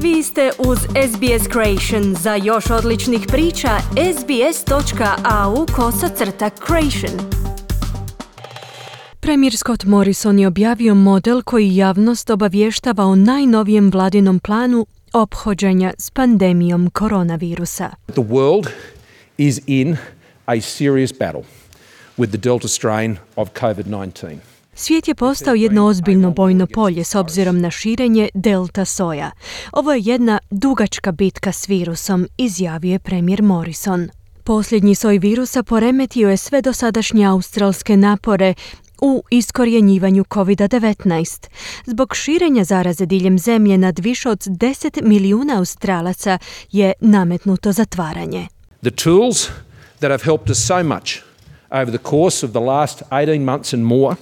Vi ste uz SBS Creation. Za još odličnih priča, sbs.au/creation. Premijer Scott Morrison je objavio model koji javnost obavještava o najnovijem vladinom planu ophođenja s pandemijom koronavirusa. The world is in a serious battle with the Delta strain of COVID-19. Svijet je postao jedno ozbiljno bojno polje s obzirom na širenje delta soja. Ovo je jedna dugačka bitka s virusom, izjavio je premijer Morrison. Posljednji soj virusa poremetio je sve dosadašnje australske napore u iskorjenjivanju COVID-19. Zbog širenja zaraze diljem zemlje nad više od 10 milijuna Australaca je nametnuto zatvaranje. The tools that have helped us so much over the course of the last 18 months and more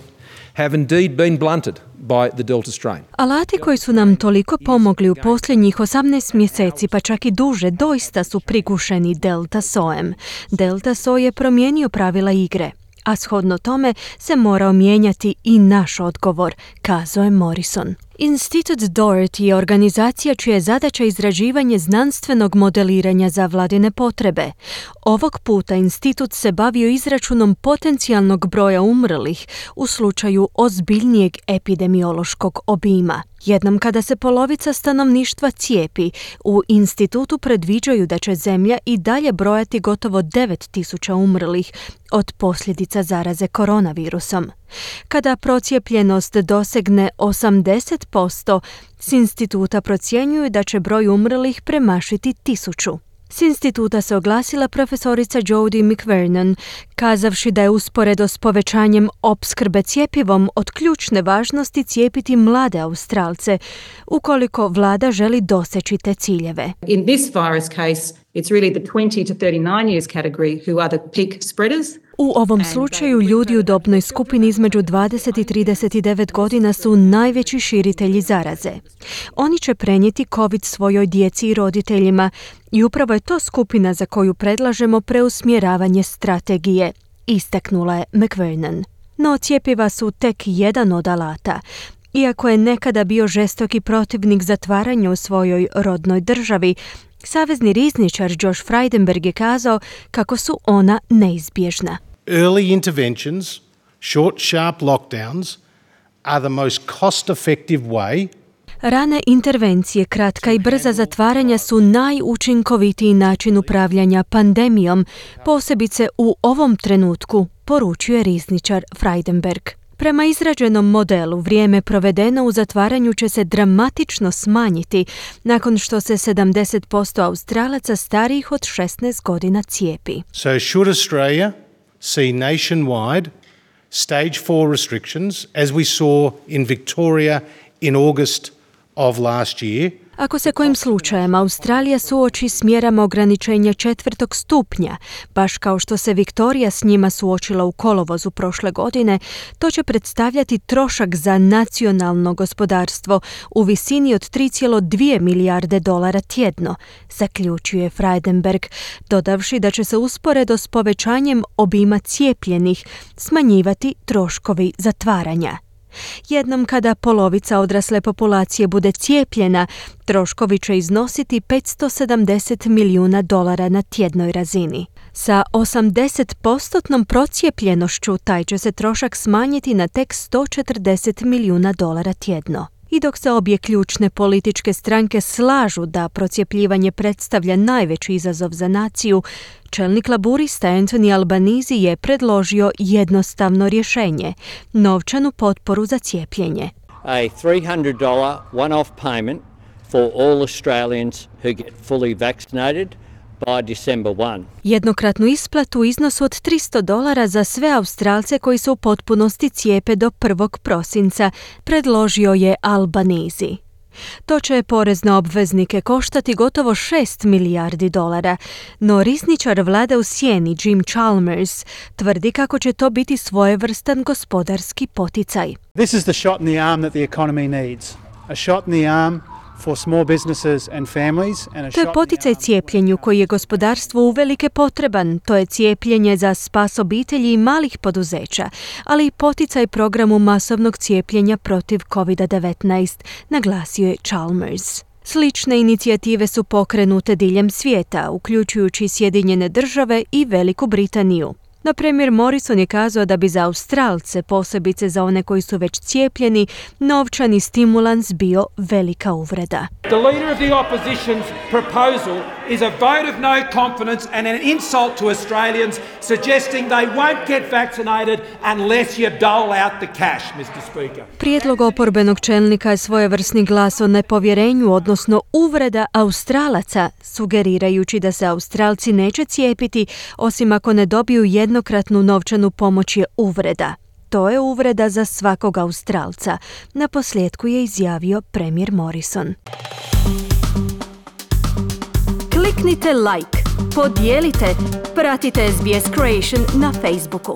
have indeed been blunted by the Delta strain. Alati koji su nam toliko pomogli u posljednjih 18 mjeseci, pa čak i duže, doista su prigušeni delta sojem. Delta soj je promijenio pravila igre, a shodno tome se morao mijenjati i naš odgovor, kazao je Morrison. Institut Doherty je organizacija čija je zadaća izrađivanje znanstvenog modeliranja za vladine potrebe. Ovog puta institut se bavio izračunom potencijalnog broja umrlih u slučaju ozbiljnijeg epidemiološkog obima. Jednom kada se polovica stanovništva cijepi, u institutu predviđaju da će zemlja i dalje brojati gotovo 9.000 umrlih od posljedica zaraze koronavirusom. Kada procijepljenost dosegne 80%, s instituta procjenjuju da će broj umrlih premašiti 1.000. S instituta se oglasila profesorica Jodie McVernon, kazavši da je usporedo s povećanjem opskrbe cjepivom od ključne važnosti cijepiti mlade Australce, ukoliko vlada želi doseći te ciljeve. In this virus case, it's really the 20 to 39 years category who are the peak spreaders. U ovom slučaju ljudi u dobnoj skupini između 20 i 39 godina su najveći širitelji zaraze. Oni će prenijeti COVID svojoj djeci i roditeljima i upravo je to skupina za koju predlažemo preusmjeravanje strategije, istaknula je McVernon. No cjepiva su tek jedan od alata. Iako je nekada bio žestoki protivnik zatvaranja u svojoj rodnoj državi, savezni rizničar Josh Frydenberg je kazao kako su ona neizbježna. Early interventions, short, sharp lockdowns are the most cost-effective way. Rane intervencije, kratka i brza zatvaranja su najučinkovitiji način upravljanja pandemijom, posebice u ovom trenutku, poručuje rizničar Frydenberg. Prema izrađenom modelu, vrijeme provedeno u zatvaranju će se dramatično smanjiti nakon što se 70% Australaca starijih od 16 godina cijepi. So should Australia see nationwide stage 4 restrictions as we saw in Victoria in August of last year? Ako se kojim slučajem Australija suoči s mjerama ograničenja 4. stupnja, baš kao što se Viktorija s njima suočila u kolovozu prošle godine, to će predstavljati trošak za nacionalno gospodarstvo u visini od 3,2 milijarde dolara tjedno, zaključuje Frydenberg, dodavši da će se usporedo s povećanjem obima cijepljenih smanjivati troškovi zatvaranja. Jednom kada polovica odrasle populacije bude cijepljena, troškovi će iznositi 570 milijuna dolara na tjednoj razini. Sa 80% procijepljenošću taj će se trošak smanjiti na tek 140 milijuna dolara tjedno. I dok se obje ključne političke stranke slažu da procijepljivanje predstavlja najveći izazov za naciju, čelnik laburista Anthony Albanese je predložio jednostavno rješenje – novčanu potporu za cijepljenje. A $300 one-off payment for all Australians who get fully vaccinated by December 1. Jednokratnu isplatu u iznosu od $300 za sve Australce koji se u potpunosti cijepe do 1. prosinca, predložio je Albanese. To će porezne obveznike koštati gotovo 6 milijardi dolara, no rizničar vlade u sjeni Jim Chalmers tvrdi kako će to biti svojevrstan gospodarski poticaj. This is the shot in the arm that the economy needs. A shot in the arm for small businesses and families and a To je poticaj cijepljenju koji je gospodarstvu uvelike potreban. To je cijepljenje za spas obitelji i malih poduzeća, ali i poticaj programu masovnog cijepljenja protiv COVID-19, naglasio je Chalmers. Slične inicijative su pokrenute diljem svijeta, uključujući Sjedinjene Države i Veliku Britaniju. Na primjer, Morrison je kazao da bi za Australce, posebice za one koji su već cijepljeni, novčani stimulans bio velika uvreda. The leader of the opposition's proposal is a vote of no confidence and an insult to Australians, suggesting they won't get vaccinated unless you dole out the cash, Mr. Speaker. Prijedlog oporbenog čelnika je svojevrsni glas o nepovjerenju, odnosno uvreda Australaca, sugerirajući da se Australci neće cijepiti osim ako ne dobiju jednokratnu novčanu pomoć je uvreda. To je uvreda za svakog Australca, naposljetku je izjavio premijer Morrison. Kliknite like, podijelite, pratite SBS Creation na Facebooku.